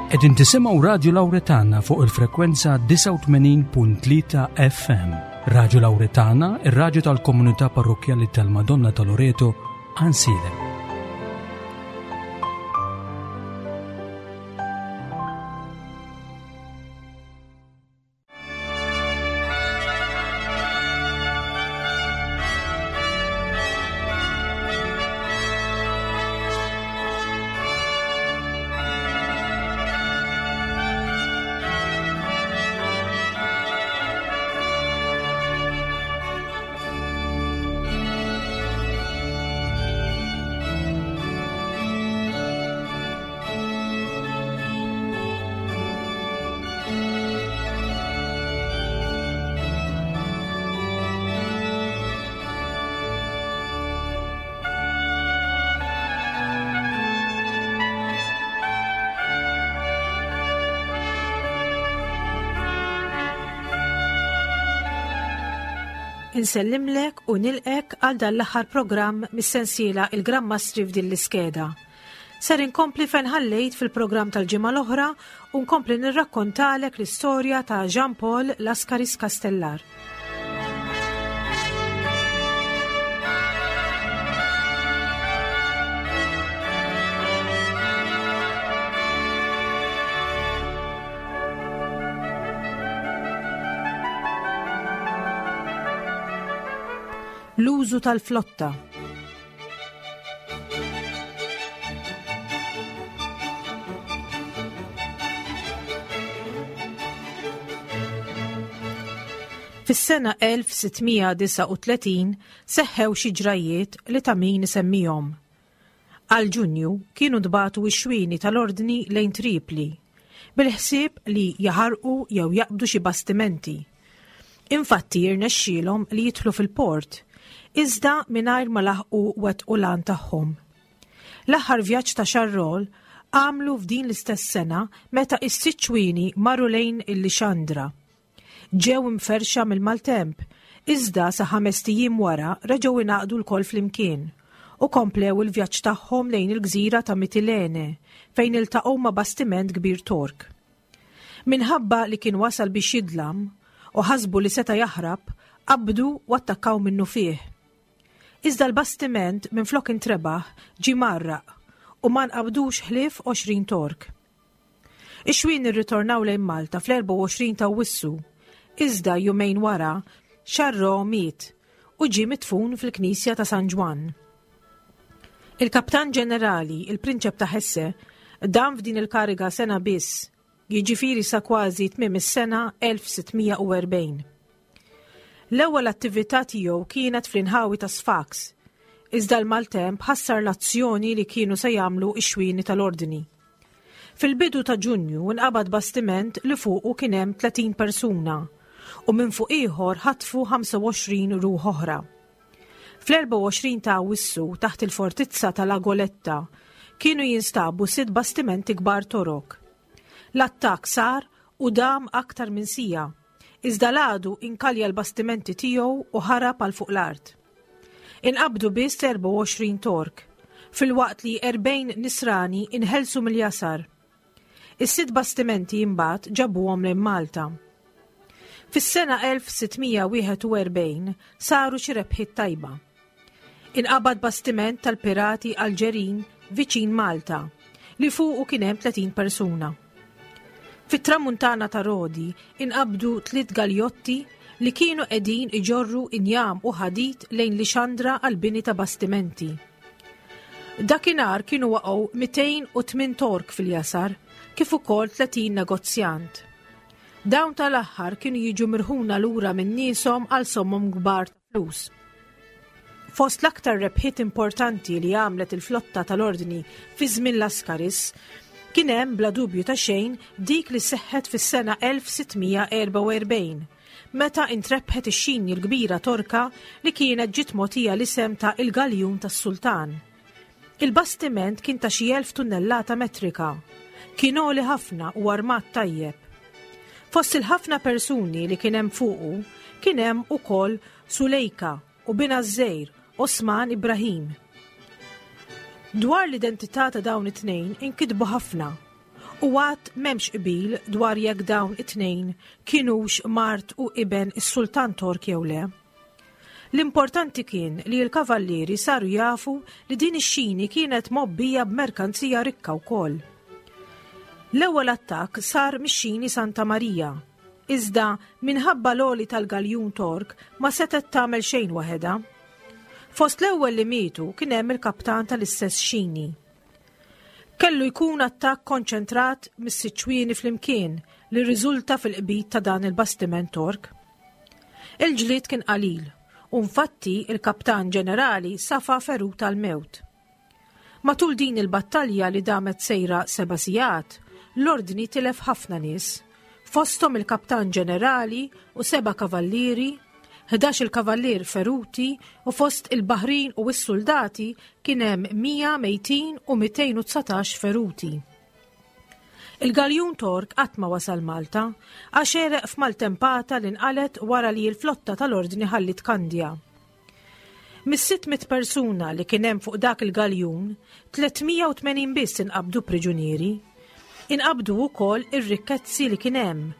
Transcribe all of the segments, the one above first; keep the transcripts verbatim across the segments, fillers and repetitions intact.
Qegħdin tisimgħu Radio Lauretana fuq il-frekwenza disgħa u tmenin punt tlieta F M. Radio Lauretana, ir-radju tal-komunità parrokkjali tal-Madonna ta' Loreto, Għajnsielem. Insellimlek u nilqek għal dan l-aħħar programm mis-sensiela Il-Gran Mastri f'din l-iskeda. Ser inkompli fejn ħallejt fil-programm tal-ġimgħa l-oħra u nkompli nirrakkontalek l-istorja ta' Jean Paul Lascaris Castellar. L-użu tal-flotta. Fis-sena elf sittmija disgħa u tletin seħħew xi ġrajiet li ta' min isemmihom. Għal Ġunju kienu dbatu x-xwieni tal-ordni lejn Tripli, bil-ħsieb li jaħarqu jew jaqbdu xi bastimenti. Infatti jirnexxielhom li jidħlu fil-port, iżda mingħajr ma laħqu wettqu l-għan tagħhom. L-aħħar vjaġġ ta' Charolles għamlu f'din l-istess sena meta s-sitt xwieni marru lejn il-Lixandra. Ġew imferxa mill-maltemp, iżda sa ħames ijiem wara reġgħu ingħaqdu lkoll flimkien u komplew il-vjaġġ tagħhom lejn il-gżira ta' Mitilene fejn iltaqgħu ma' bastiment kbir Tork. Minħabba li kien wasal biex jidlam u ħasbu li seta' jaħrab, qabdu u attakkaw minnu fih. Iżda l-bastiment minflok intrebaħ ġie mgħarraq u ma nqabdux ħlief għoxrin Tork. Ix-xwien irritornaw lejn Malta fl-erbgħa u għoxrin ta' Awwissu, iżda jumejn wara Charolles miet u ġie midfun fil-Knisja ta' San Ġwann. Il-Kaptan Ġenerali, il-Prinċep ta' Hesse, dam f'din il-kariga sena biss, jiġifieri sa kważi tmiem is-sena elf sittmija u erbgħin. L-ewwel attività tiegħu kienet fl-inħawi ta' Sfax, iżda l-maltemp ħassar l-azzjoni li kienu se jagħmlu x-xwieni tal-ordni. Fil-bidu ta' Ġunju nqabad bastiment li fuqu kien hemm tletin persuna u minn fuq ieħor ħatfu ħamsa u għoxrin ruħ oħra. Fl-erbgħa u għoxrin ta' Awwissu taħt il-fortizza tal-Agoletta kienu jinstabu sitt bastimenti kbar Torok. L-attakk sar u dam aktar minn sija, iżda l-għadu inkalja l-bastimenti tiegħu u ħarab għal fuq l-art. Inqabdu biss erbgħa u għoxrin Tork, filwaqt li erbgħin Nisrani inħelsu mill-jasar. Is-sitt bastimenti imbagħad ġabuhom lejn Malta. Fis-sena elf sittmija wieħed u erbgħin saru xi rebħiet tajba. Inqabad bastiment tal-pirati Alġerin viċin Malta li fuqu kien hemm tletin persuna. Fit-tramuntana ta' Rodi inqabdu tliet galjotti li kienu qegħdin iġorru injam u ħadid lejn Lixandra għall-bini ta' bastimenti. Dakinhar kienu waqgħu mitejn u tmien Tork fil-jasar, kif ukoll tletin negozjant. Dawn tal-aħħar kienu jiġu mirħuna lura minn nieshom għal sommom kbar ta' flus. Fost l-aktar rebħiet importanti li għamlet il-flotta tal-ordni fi żmien Lascaris, kien hemm bla dubju ta' xejn dik li seħħet fis-sena elf sittmija erbgħa u erbgħin, meta intrebħet ix-xini l-kbira Torka li kienet ġiet mogħtija l-isem ta' il-Galjun tas-Sultan. Il-bastiment kien ta' xi elf tunnellata metrika, kien għoli ħafna u armat tajjeb. Fost il-ħafna persuni li kien hemm fuqu, kien hemm ukoll Sulejka u binha ż-żgħir Osman Ibrahim. Dwar l-identità ta' dawn it-tnejn inkitbu ħafna U għad m'hemmx qbil dwar jekk dawn it-tnejn kinux mart u iben is-Sultan Tork jew le. L-importanti kien li l-kavallieri saru jafu li din ix-xini kienet mgħobbija b'merkanzija rikka wkoll. L-ewwel attakk sar mix-xini Santa Marija, iżda minħabba l-għoli tal-galjun Tork ma setet tagħmel xejn waħedha. Fost l-ewwel li mietu kien hemm il-kaptan tal-istess xini. Kellu jkun attakk konċentrat mis-sitt xwieni flimkien li rriżulta fil-qbid ta' dan il-bastiment Tork. Il-ġlied kien qalil u infatti il-kaptan ġenerali safa ferut tal-mewt. Matul din il-battalja li damet sejra seba' sigħat, l-ordni tilef ħafna nies, fosthom il-kaptan ġenerali u seba' kavallieri, ħdax il-kavallier feruti u fost il-baħrin u s-soldati kien hemm mija mejtin u mitejn u dsatax feruti. Il-galjun Tork qatt ma wasal Malta għax għereq f'maltempata li nqalet wara li l-flotta tal-ordni ħallit Kandja. Mis-sitt mitt persuna li kien hemm fuq dak il-galjun, tliet mija u tmenin biss inqabdu priġunieri. Inqabdu wkoll ir-rikkezzi li kien hemm,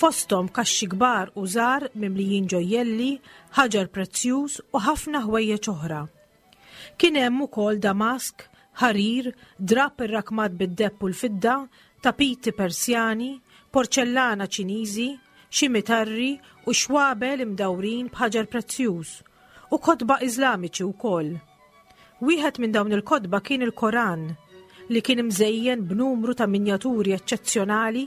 fosthom kaxxi kbar u żgħar mimlijin ġojjelli, ħaġar prezzjuż u ħafna ħwejjeġ oħra. Kien hemm ukoll damask, ħarir, drapp irrakmat bid-deheb u l-fidda, tapiti Persjani, porċellana Ċiniżi, xi mitarri u xwabel imdawrin b'ħaġar prezzjuż, u kotba Iżlamiċi wkoll. Wieħed minn dawn il-kotba kien il-Koran, li kien imżejjen b'numru ta' minjaturi eċċezzjonali,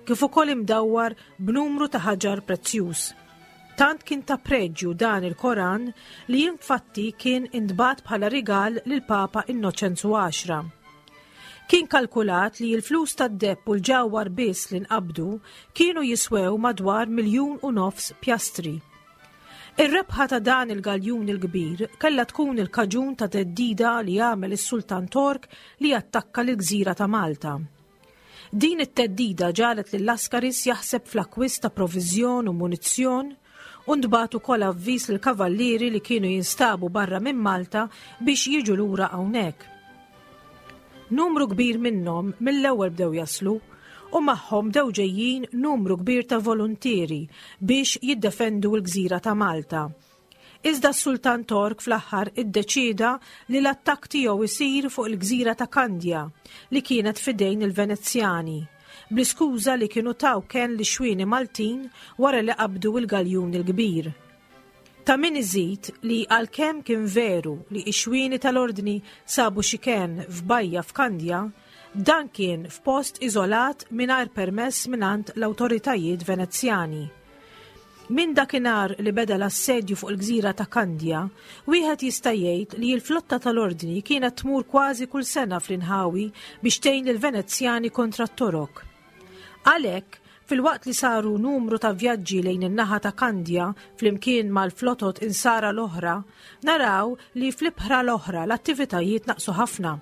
kif ukoll imdawwar b'numru ta' ħaġar prezzjuż. Tant kien ta' preġju dan il-Koran li infatti kien intbagħat bħala rigal lil Papa Innoċenzu għaxra. Kien kalkulat li l-flus tad-deheb u l-ġawhar biss li nqabdu kienu jiswew madwar miljun u nofs pjastri. Ir-rebħa ta' dan il-galjun il-kbir kellha tkun il-kaġun ta' theddida li għamel is-Sultan Tork li attakka l-gżira ta' Malta. Din it-theddida ġagħlet lil Lascaris jaħseb fl-akkwist ta' proviżjon u munizzjon u ntbagħat ukoll avviż lill-kavallieri li kienu jinstabu barra minn Malta biex jiġu lura hawnhekk. Numru kbir minnhom mill-ewwel bdew jaslu u magħhom bdew ġejjin numru kbir ta' volontieri biex jiddefendu l-gżira ta' Malta. Iżda s-Sultan Tork fl-aħħar iddeċieda li l-attakk tiegħu isir fuq il-gżira ta' Kandja li kienet fidejn il-Venezjani, bl-iskuża li kienu taw kenn lix-xwieni Maltin wara li qabdu l-galjun il-kbir. Ta' min iżid li għalkemm kien veru li x-xwieni tal-ordni sabu xi kenn f'bajja f'Kandja, dan kien f'post iżolat mingħajr permess mingħand l-awtoritajiet Venezjani. Minn dakinhar li beda l-assedju fuq il-gżira ta' Kandja, wieħed jista' jgħid li l-flotta tal-ordni kienet tmur kważi kull sena fl-inħawi biex tgħin lill-Venezjani kontra t-Torok. Għalhekk, filwaqt li saru numru ta' vjaġġi lejn in-naħa ta' Kandja flimkien mal-flotot insara l-oħra, naraw li fl-ibħra l-oħra l-attivitajiet naqsu ħafna.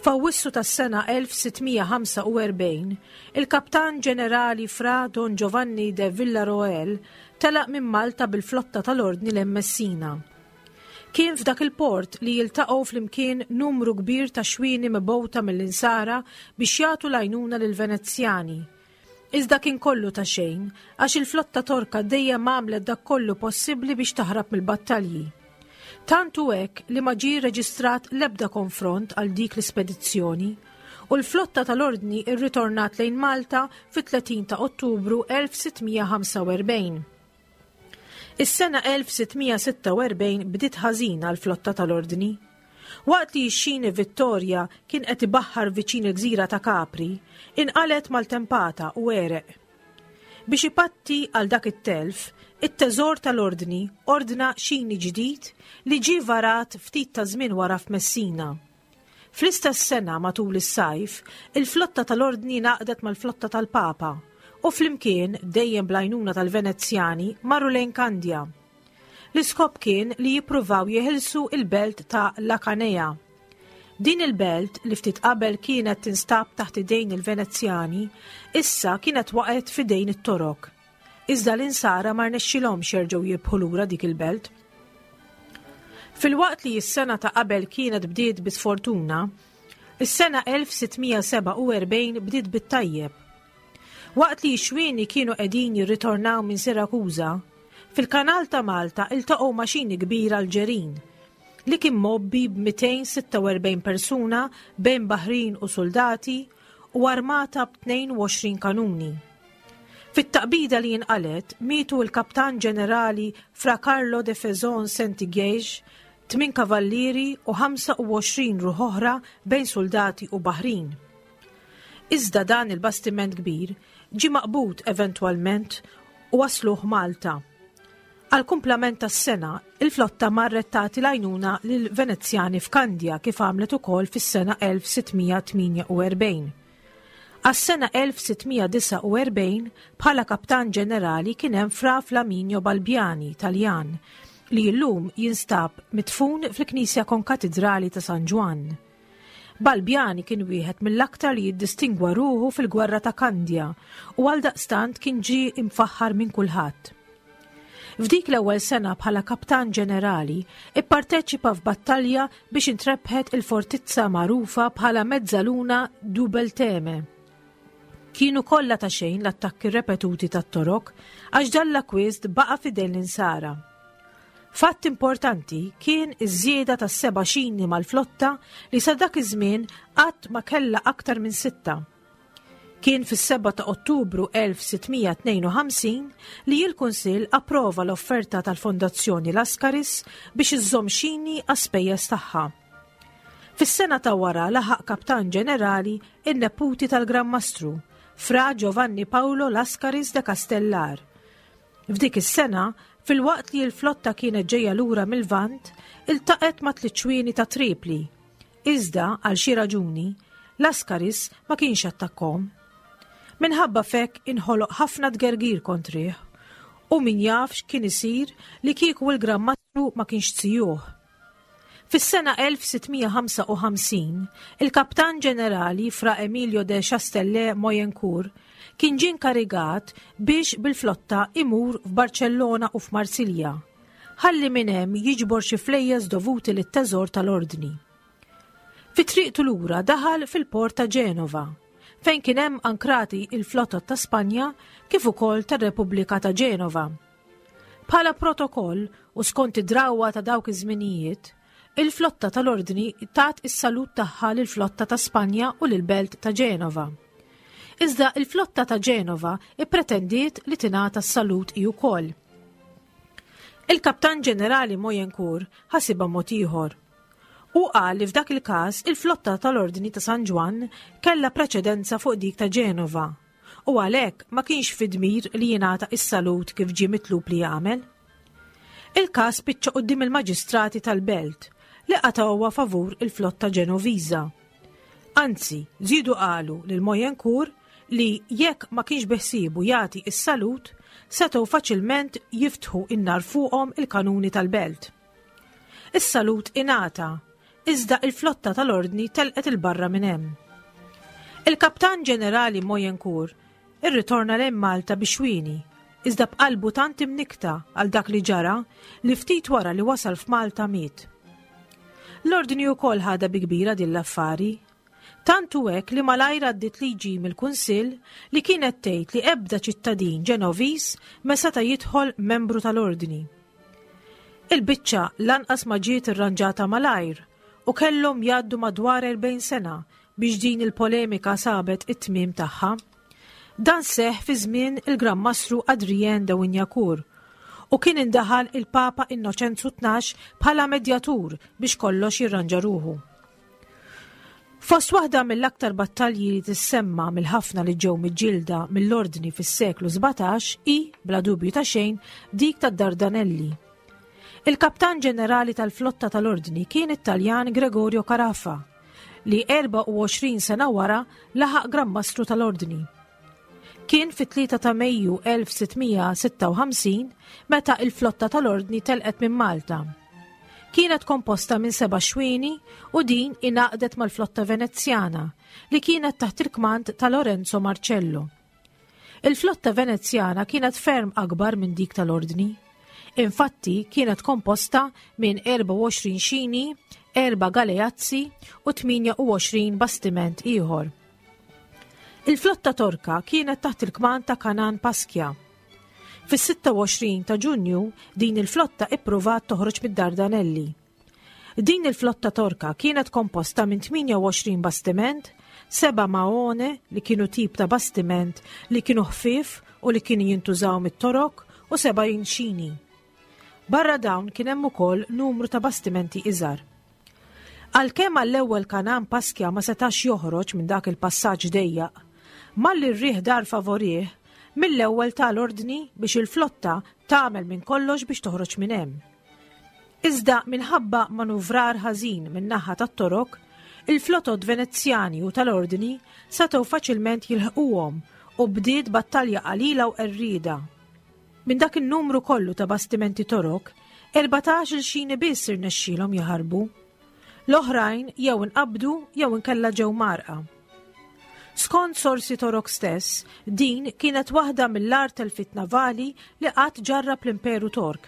F'Awwissu tas-sena elf sittmija ħamsa u erbgħin, il-Kaptan Ġenerali Fra Don Giovanni de Villaroel telaq minn Malta bil-flotta tal-Ordni lejn Messina. Kien f'dak il-port li jiltaqgħu flimkien numru kbir ta' xwieni mibgħuta mill-insara biex jagħtu l-għajnuna lill-Venezjani. Iżda kien kollu ta' xejn, għax il-flotta Torka dejjem għamlet dak kollu possibbli biex taħrab mill-battalji. Tant hu hekk li ma ġie reġistrat l-ebda konfront għal dik l-ispedizzjoni u l-flotta tal-Ordni rritornat lejn Malta fit-tletin ta' Ottubru elf sittmija ħamsa u erbgħin. Is-sena elf sittmija sitta u erbgħin bdiet ħażin għall flotta tal-Ordni. Waqt li x-xini Vittoria kien qed ibaħħar viċin il-gżira ta' Capri, inqalet maltempata u għereq. Biex ipatti għal dak it-telf, it-teżor tal-Ordni ordna xini ġdid li ġie varat ftit ta' żmien wara f'Messina. Fl-istess sena matul is-sajf, il-flotta tal-Ordni ngħaqdet mal-flotta tal-Papa u flimkien dejjem bl-għajnuna tal-Venezjani marru lejn Kandja. L-iskop kien li jippruvaw jeħilsu il-belt ta' La Canea. Din il-belt li ftit qabel kienet tinstab taħt idejn il-Venezjani, issa kienet waqgħet f'idejn it-Torok. Iżda l-insara ma rnexxilhomx jerġgħu jirbħu lura dik il-belt. Filwaqt li s-sena ta' qabel kienet bdiet bi sfortuna, Is-sena elf sitt mija sebgħa u erbgħin bdiet bit-tajjeb. Waqt li x-xwieni kienu qegħdin jirritornaw minn Sirakuża, fil-kanal ta' Malta iltaqgħu ma' xini kbira Alġerin li kien mgħobbi b'mitejn sitta u erbgħin persuna bejn baħrin u soldati u armata b'tnejn u għoxrin kanuni. Fit-taqbida li jinqalet mietu l-kaptan ġenerali Fra Carlo de Fezon Saint-Guège, tmin kavallieri u ħamsa u għoxrin ruħ oħra bejn soldati u baħrin. Iżda dan il-bastiment kbir ġi maqbud eventwalment u wasluh Malta. Għal kumplament tas-sena, il-flotta marret tagħti l-għajnuna lil Venezjani f'Kandja, kif għamlet ukoll fis-sena elf sitt mija tmienja u erbgħin. Għas-sena elf sitt mija disgħa u erbgħin bħala kaptan ġenerali kien hemm Fra Flaminio Balbiani, Taljan, li llum jinstab midfun fil-Knisja Konkatidrali ta' San Ġwann. Balbiani kien wieħed mill-aktar li jiddistingwa ruħu fil-gwerra ta' Kandja u għal daqstant kien ġie imfaħħar minn kulħadd. F'dik l-ewwel sena bħala kaptan ġenerali ipparteċipa f'battalja biex intrebħet il-fortizza magħrufa bħala Mezzaluna du Belteme. Kienu kollha ta' xejn l-attakki repetuti tat-Torok għax dan l-akwist baqa' f'idejn l-Insara. Fatt importanti kien iż-żieda tas seba' xini mal-flotta li sa dak iż-żmien qatt ma kellha aktar minn sitta. Kien fis-sebgħa ta' Ottubru elf sitt mija tnejn u ħamsin li l-Kunsill approva l-offerta tal-Fondazzjoni Lascaris biex iżżomm xini għas-spejjeż tagħha. Fis-sena ta' wara laħaq kaptan ġenerali in-neputi tal-Gran Mastru, Fra Giovanni Paolo Lascaris de Castellar. F'dik is-sena, filwaqt li l-flotta kienet ġejja lura mil-Lvant, iltaqet ma' tliet xwieni ta' Tripli. Iżda, għal xi raġuni, Lascaris ma kienx attakkom. Minħabba f'hekk inħoloq ħafna tgergir kontrih u min jaf x'kien isir li kieku il-Gran Mastru ma kienx zijuh. Fis-sena elf sitt mija ħamsa u ħamsin, il-kaptan ġenerali Fra Emilio de Chastellet Moyencourt kien ġie inkarigat biex bil-flotta imur f'Barcellona u f'Marsilja, ħalli minn hemm jiġbor xi flejjes dovuti lit-teżor tal-ordni. Fi triqtu lura daħal fil-port ta' Ġenova, fejn kien hemm ankrati il-flotta ta' Spanja kif ukoll tar-Repubblika ta' Ġenova. Bħala protokoll u skont id-drawwa ta' dawk iż-żminijiet, il-flotta tal-ordni tat is-salut tagħha lill-flotta ta' Spanja u lill-belt ta' Ġenova. Iżda il-flotta ta' Ġenova ippretendiet li tingħata s-salut hi wkoll. Il-kaptan ġenerali Moyencourt ħasibha mod ieħor. U qal li f'dak il-każ il-flotta tal-Ordni ta' San Ġwann kellha preċedenza fuq dik ta' Ġenova u għalhekk ma kienx fid-dmir li jingħata is-salut kif ġie mitlub li jagħmel. Il-każ spiċċa quddiem il-maġistrati tal-belt, li qatgħuha favur il-flotta Ġenoviża. Anzi, żiedu qalu lil Moyencourt li jekk ma kienx beħsiebu jagħti is-salut, setgħu faċilment jiftħu in-nar fuqhom il-kanuni tal-belt. Is-salut ingħata, iżda il-flotta tal-ordni telqet 'il barra minn hemm. Il-kaptan ġenerali Moyencourt irritorna lejn Malta bix-xwieni, iżda b'qalbu tant imnikta għal dak li ġara li ftit wara li wasal f'Malta miet. L-ordni wkoll ħadha bi kbira din l-affari. Tantu hekk li malajr għaddiet liġi mill-Kunsill li kienet tgħid li ebda ċittadin Ġenoviż ma seta' jidħol membru tal-ordni. Il-biċċa lanqas ma ġiet irranġata malajr u kellhom jgħaddu madwar erbgħin sena biex din il-polemika sabet it-tmiem tagħha. Dan seħ fi żmien il-Gran Mastru Adrien de Wignacourt u kien indaħal il-Papa Innoċenzu Tnax bħala medjatur biex kollox jirranġa ruħu. Fost waħda mill-aktar battalji li tissemma mill-ħafna li ġew miġġielda mill-ordni fis-seklu sbatax hi, bla dubju ta' xejn, dik tad-Dardanelli. Il-kaptan ġenerali tal-flotta tal-ordni kien it-Taljan Gregorio Carafa, li erbgħa u għoxrin sena wara laħaq Gran Mastru tal-Ordni. Kien fit-tlieta ta' Mejju elf sitt mija sitta u ħamsin meta il-flotta tal-Ordni telqet minn Malta. Kienet komposta minn seba' xwieni u din ingħaqdet mal-flotta Venezjana li kienet taħt il-kmand ta' Lorenzo Marcello. Il-flotta Venezjana kienet ferm akbar minn dik tal-Ordni. Infatti kienet komposta minn erbgħa u għoxrin xini, erba' galeazzi u tmienja u għoxrin bastiment ieħor. Il-flotta Torka kienet taħt il-kmand ta' Kanan Paskja. Fis-sitta u għoxrin ta' Ġunju din il-flotta ippruvat toħroġ mid-Dardanelli. Din il-flotta Torka kienet komposta minn tmienja u għoxrin bastiment, seba' maone li kienu tip ta' bastiment li kienu ħfif u li kienu jintużaw mit-Torok u seba' xini. Barra dawn kien hemm ukoll numru ta' bastimenti iżgħar. Għalkemm għall-ewwel Kanan Paskja ma setax joħroġ minn dak il-passaġġ dejjaq, malli r-riħ dar favorih, mill-ewwel tal-ordni biex il-flotta tagħmel minn kollox biex toħroġ minn hemm. Iżda minħabba manuvrar ħażin minn naħa tat-Torok, il-flotot Venezzjani u tal-ordni setgħu faċilment jilħquhom u bdiet battalja qalila u qerrida. Minn dak in-numru kollu ta' bastimenti Torok, erbatax-il xini biss irnexxielhom jaħarbu. L-oħrajn jew inqabdu jew inkella ġew mgħarrqa. Skont sorsi Torok stess, din kienet waħda mill-agħar telfiet navali li qatt ġarrab l-Imperu Tork.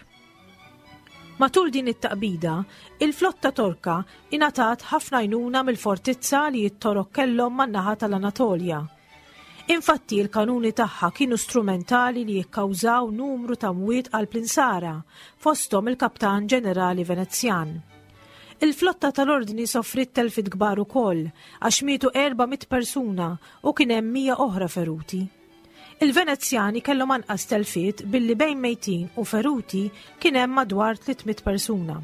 Matul din it-taqbida, il-flotta Torka ingħatat ħafna għajnuna mill-fortizza li t-Torok kellhom man-naħa tal-Anatolja. Infatti il-kanuni tagħha kienu strumentali li jikkawżaw numru ta' mwiet għal Plinsara, fosthom il-kaptan ġenerali Venezjan. Il-flotta tal-ordni soffrit telfiet kbar ukoll għax mietu erba' mitt persuna u kien hemm mija oħra feruti. Il-Venezjani kellhom anqas telfiet billi bejn mejtin u feruti kien hemm madwar tliet mitt persuna.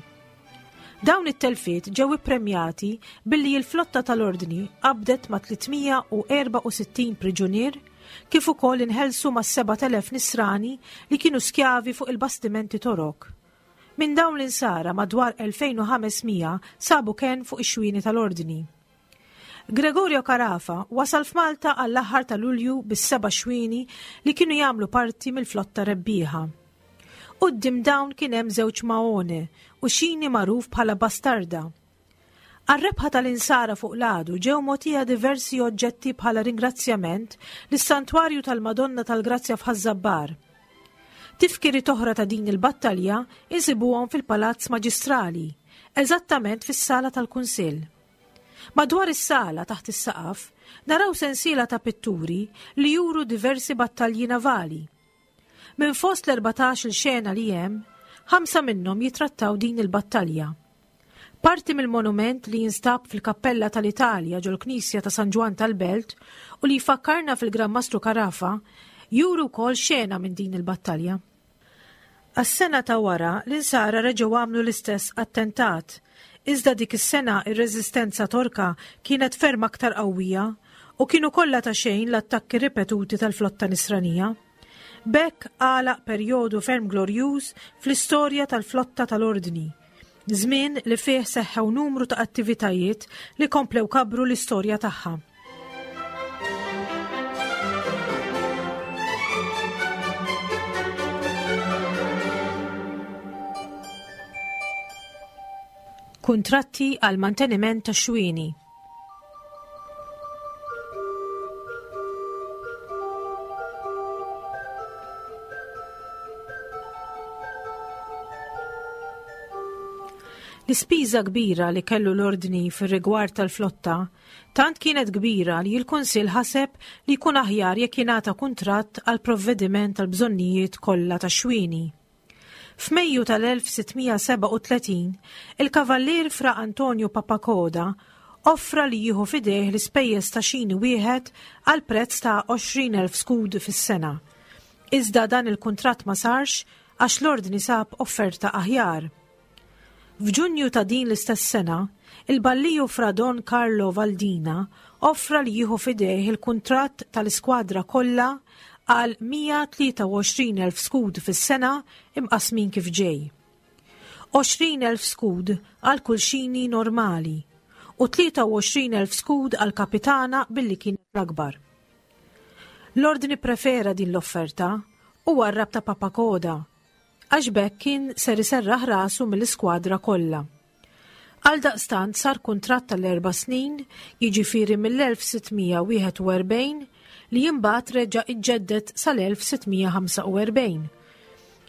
Dawn it-telfiet ġew ippremjati billi l-flotta tal-ordni qabdet ma' tliet mija u erbgħa u sittin priġunier kif ukoll inħelsu ma' sebat elef nisrani li kienu skjavi fuq il-bastimenti Torok. Minn dawn l-insara madwar elfejn u ħames mija sabu ken fuq ix-xwieni tal-ordni. Gregorio Carafa wasal f'Malta għall-aħħar ta' Lulju bis-seba' xwieni li kienu jagħmlu parti mill-flotta rebbieħa. Quddiem dawn kien hemm żewġ maone u xini magħruf bħala bastarda. Għar-rebħa tal-insara fuq l-għadu ġew mogħtija diversi oġġetti bħala ringrazzjament lis-Santwarju tal-Madonna tal-Grazzja f'Ħaż-Żabbar. Tifkiriet oħra ta' din il-battalja insibuhom fil-Palazz Maġistrali, eżattament fis-sala tal-Kunsill. Madwar is-sala taħt is-saqaf naraw sensiela ta' pitturi li juru diversi battalji navali. Minn fost l-erbatax il xena li hemm, ħamsa minnhom jitrattaw din il-battalja. Parti mill-monument li jinstab fil-Kappella tal-Italja ġol-Knisja ta' San Ġwann tal-Belt u li jfakkarna fil-Gran Mastru Carafa juru wkoll xena minn din il-battalja. Għas-sena ta' wara l-insara reġgħu għamlu l-istess attentat, iżda dik is-sena ir-reżistenza Torka kienet ferm aktar qawwija u kienu kollha ta' xejn l-attakki ripetuti tal-flotta nisranija. B'hekk għalaq perjodu ferm glorjuż fl-istorja tal-flotta tal-ordni. Żmien li fih seħħew numru ta' attivitajiet li komplew kabru l-istorja tagħha. Kuntratti għal manteniment ta' xwieni. L-ispiża kbira li kellu l-ordni fir-rigward tal-flotta tant kienet kbira li l-Kunsill ħaseb li jkun aħjar jekk jingħata kuntratt għal provvediment tal-bżonnijiet kollha ta' xwieni. F'Mejju tal-elf sitt mija sebgħa u tletin, il-Kavallier Fra Antonio Papacoda offra li jieħu f'idejh l-ispejjeż ta' xini wieħed għal prezz ta' għoxrin elf skud fis-sena. Iżda dan il-kuntratt ma sarx għax l-ordni sab offerta aħjar. F'Ġunju ta' din l-istess sena, il-balliju Fra Don Carlo Valdina offra li jieħu f'idejh il-kuntratt tal-iskwadra kollha għal mija u tlieta u għoxrin elf skud fis-sena imqasmin kif ġej. għoxrin elf skud għal kull xini normali u tlieta u għoxrin elf skud għal kapitana billi kien l-akbar. L-ordni prefera din l-offerta u warrab ta' Papacoda għax b'hekk kien ser iserraħ rasu mill-iskwadra kollha. Għal daqstant sar kuntratt tal-erba' snin, jiġifieri mill-elf sitt mija wieħed u erbgħin li imbagħad reġa' iġġedded sal-elf sitt mija ħamsa u erbgħin.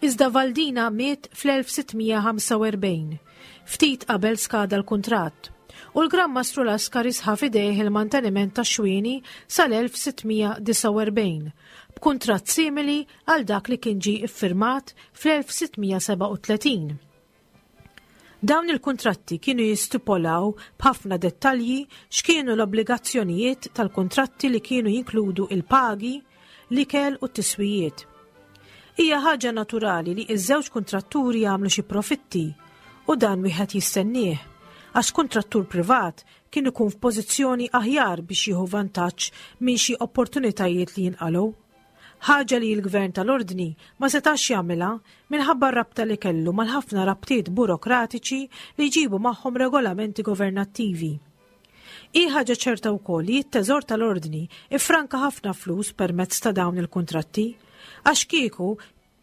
Iżda Valdina miet fl-elf sitt mija ħamsa u erbgħin, Ftit qabel skada l-kuntratt u l-Gran Mastru Lascaris ħa f'idejh il-manteniment tax-xwieni sal-elf sitt mija disgħa u erbgħin b'kuntratt simili għal dak li kien ġie iffirmat fl-elf sitt mija sebgħa u tletin. Dawn il-kuntratti kienu jistipulaw b'ħafna dettalji x'kienu l-obbligazzjonijiet tal-kuntratti li kienu jinkludu il-pagi, l-ikel u t-tiswijiet. Hija ħaġa naturali li iż-żewġ kuntratturi jagħmlu xi profitti u dan wieħed jistennieh, għax kuntrattur privat kien ikun f'pożizzjoni aħjar biex jieħu vantaġġ minn xi opportunitajiet li jinqalgħu. Ħaġa li l-gvern tal-ordni ma setax jagħmilha minħabba r-rabta li kellu mal-ħafna rabtiet burokratiċi li jġibu magħhom regolamenti governattivi. Hi ħaġa ċerta wkoll li t-teżor tal-ordni ifranka ħafna flus permezz ta' dawn il-kuntratti, għax kieku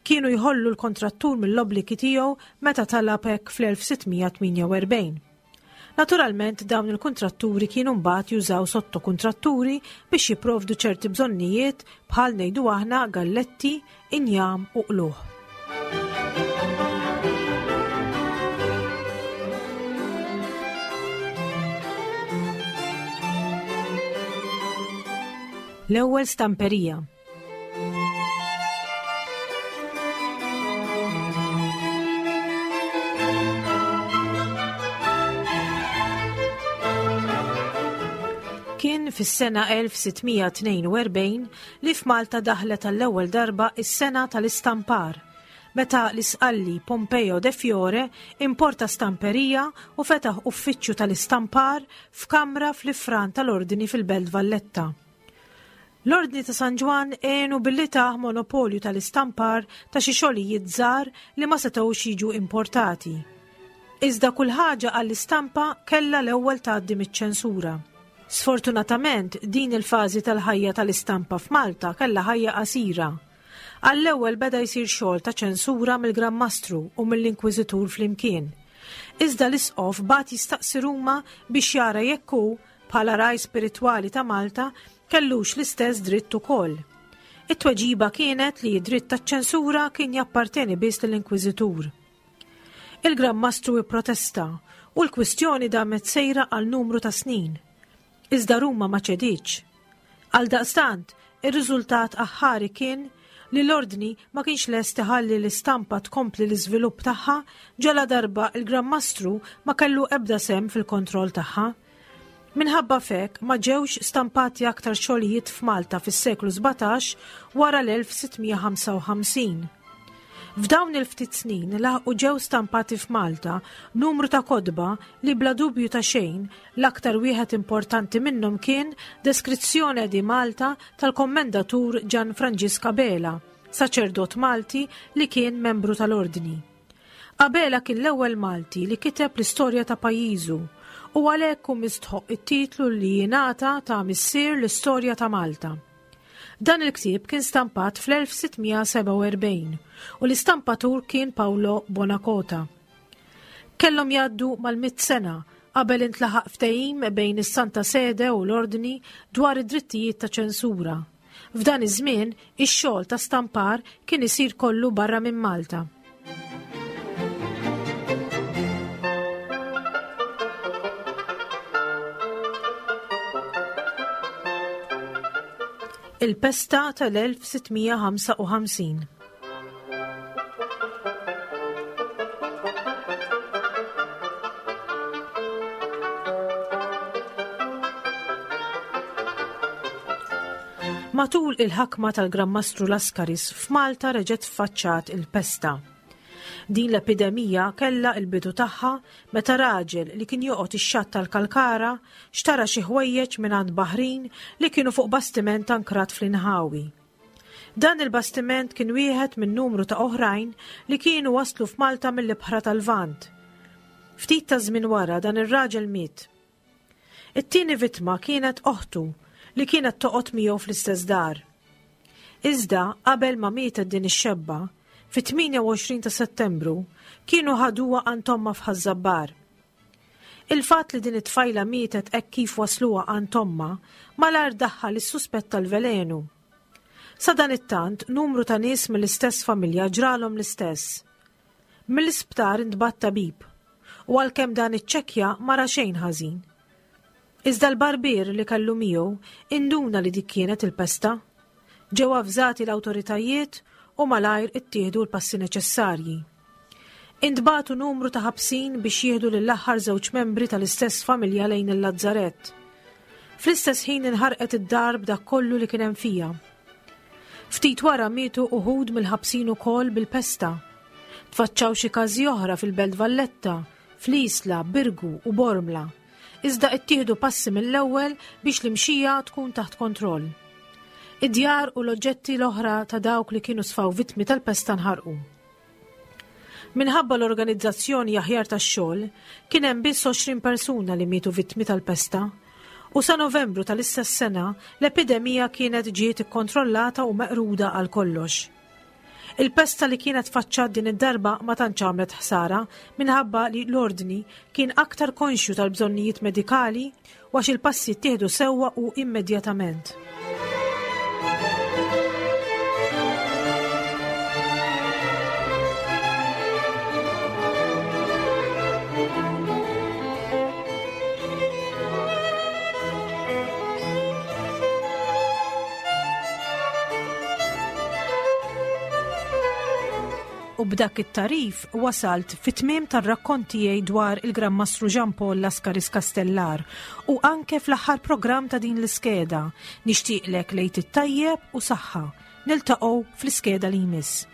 kienu jħollu l-kontrattur mill-obbligi tiegħu meta talab hekk fl-elf sitt mija tmienja u erbgħin. Naturalment dawn il-kontratturi kienu mbagħad jużaw sottokontratturi biex jipprovdu ċerti bżonnijiet bħal ngħidu aħna galletti, injam u qluħ. L-ewwel stamperija. Kien fis-sena elf sitt mija tnejn u erbgħin li f'Malta daħlet għall-ewwel darba is-sena tal-istampar, meta l-Isqalli Pompeo de Fiore importa stamperija u fetaħ uffiċċju tal-istampar f'kamra fl-ifran tal-Ordni fil-Belt Valletta. L-Ordni ta' San Ġwann għenu billi tah monopolju tal-istampar ta' xi xogħlijiet żgħar li ma setgħux jiġu importati. Iżda kull ħaġa għall-istampa kellha l-ewwel tgħaddi miċ-ċensura. Sfortunatament, din il-fażi tal-ħajja tal-istampa f'Malta kellha ħajja qasira. Għall-ewwel beda jsir xogħol ta' ċensura mill-Gran Mastru u mill-Inkwiżitur flimkien. Iżda l-Isqof bagħat jistaqsi Ruma biex jara jekk hu, bħala ragħaj spiritwali ta' Malta, kellux l-istess dritt ukoll. It-tweġiba kienet li d-dritt taċ-ċensura kien japparteni biss lill-Inkwiżitur. Il-Gran Mastru ipprotesta u l-kwistjoni damet sejra għal numru ta' snin. Iżda Ruma ma ċedietx. Għaldaqstant, ir-riżultat aħħari kien li l-ordni ma kienx lest iħalli l-istampa tkompli l-iżvilupp tagħha ġala darba il-Gran Mastru ma kellu ebda sehem fil-kontroll tagħha. Minħabba f'hekk ma ġewx stampati aktar xogħlijiet f'Malta fis-seklu sbatax wara l-elf sitt mija ħamsa u ħamsin. F'dawn il-ftit snin laħqu ġew stampati f'Malta numru ta' kotba li bla dubju ta' xejn l-aktar wieħed importanti minnhom kien Deskrizzjoni di Malta tal-Kommendatur Gian Franġisk Abela, saċerdot Malti li kien membru tal-Ordni. Abela kien l-ewwel Malti li kiteb l-istorja ta' pajjiżu u għalhekk hu mistħoq it-titlu li jingħata ta' missier l-istorja ta' Malta. Dan il-ktieb kien stampat fl-elf sitt mija sebgħa u erbgħin u l-istampatur kien Paolo Bonacota. Kellhom jgħaddu mal-mitt sena qabel intlaħaq ftehim bejn is-Santa Sede u l-Ordni dwar id-drittijiet ta' ċensura. F'dan iż-żmien, ix-xogħol ta' stampar kien isir kollu barra minn Malta. Il-pesta tal-elf sitt mija ħamsa u ħamsin. Matul il-ħakma tal-Gran Mastru Lascaris f'Malta reġgħet faċċat il-pesta. Din l-epidemija kellha il-bidu tagħha meta raġel li kien joqgħod ix-xatt tal-Kalkara xtara xi ħwejjeġ mingħand baħrin li kienu fuq bastiment ankrat fl-inħawi. Dan il-bastiment kien wieħed minn numru ta' oħrajn li kienu waslu f'Malta mill-ibħra tal-Lvant. Ftit ta' żmien wara dan ir-raġel miet. It-tieni vittma kienet oħtu li kienet toqgħod miegħu fl-istess dar. Iżda qabel ma mietet din ix-xebba, fit-tmienja u għoxrin ta' Settembru kienu ħaduha għand ommha f'Ħaż-Żabbar. Il-fatt li din it-tfajla mietet hekk kif wasluha għand ommha malajr daħħal is-suspett tal-velenu. Sadanittant, numru ta' nies mill-istess familja ġralhom l-istess. Mill-isptar intbagħat tabib U għalkemm dan iċċekkja ma ra xejn ħażin. Iżda l-barbier li kellu miegħu induna li dik kienet il-pesta. Ġew avżati l-awtoritajiet u malajr ittieħdu l-passi neċessarji. Intbagħtu numru ta' ħabsin biex jieħdu lill-aħħar żewġ membri tal-istess familja lejn il-Lazzarett. Fl-istess ħin inħarqet id-dar b'dak kollu li kien hemm fiha. Ftit wara mietu uħud mill-ħabsin ukoll bil-pesta. Tfaċċaw xi każi oħra fil-Belt Valletta, fl-Isla, Birgu u Bormla. Iżda ittieħdu passi mill-ewwel biex l-imxija tkun taħt kontroll. Id-djar u l-oġġetti l-oħra ta' dawk li kienu sfaw vittmi tal-pesta nħarqu. Minħabba l-organizzazzjoni aħjar tax-xogħol, kien hemm biss għoxrin persuna li mietu vittmi tal-pesta. U sa Novembru tal-istess sena, l-epidemija kienet ġiet ikkontrollata u meqruda għal kollox. Il-pesta li kienet faċċat din id-darba ma tantx għamlet ħsara minħabba li l-ordni kien aktar konxju tal-bżonnijiet medikali u għax il-passi ttieħdu sewwa u immedjatament. U b'dak it-tarif wasalt fit-tmiem tar-rakkont tiegħi dwar il-Gran Mastru Jean Paul Lascaris Castellar u anke fl-aħħar programm ta' din l-iskeda. Nixtieqlek lejt it-tajjeb u saħħa. Niltaqgħu fl-iskeda li jmiss.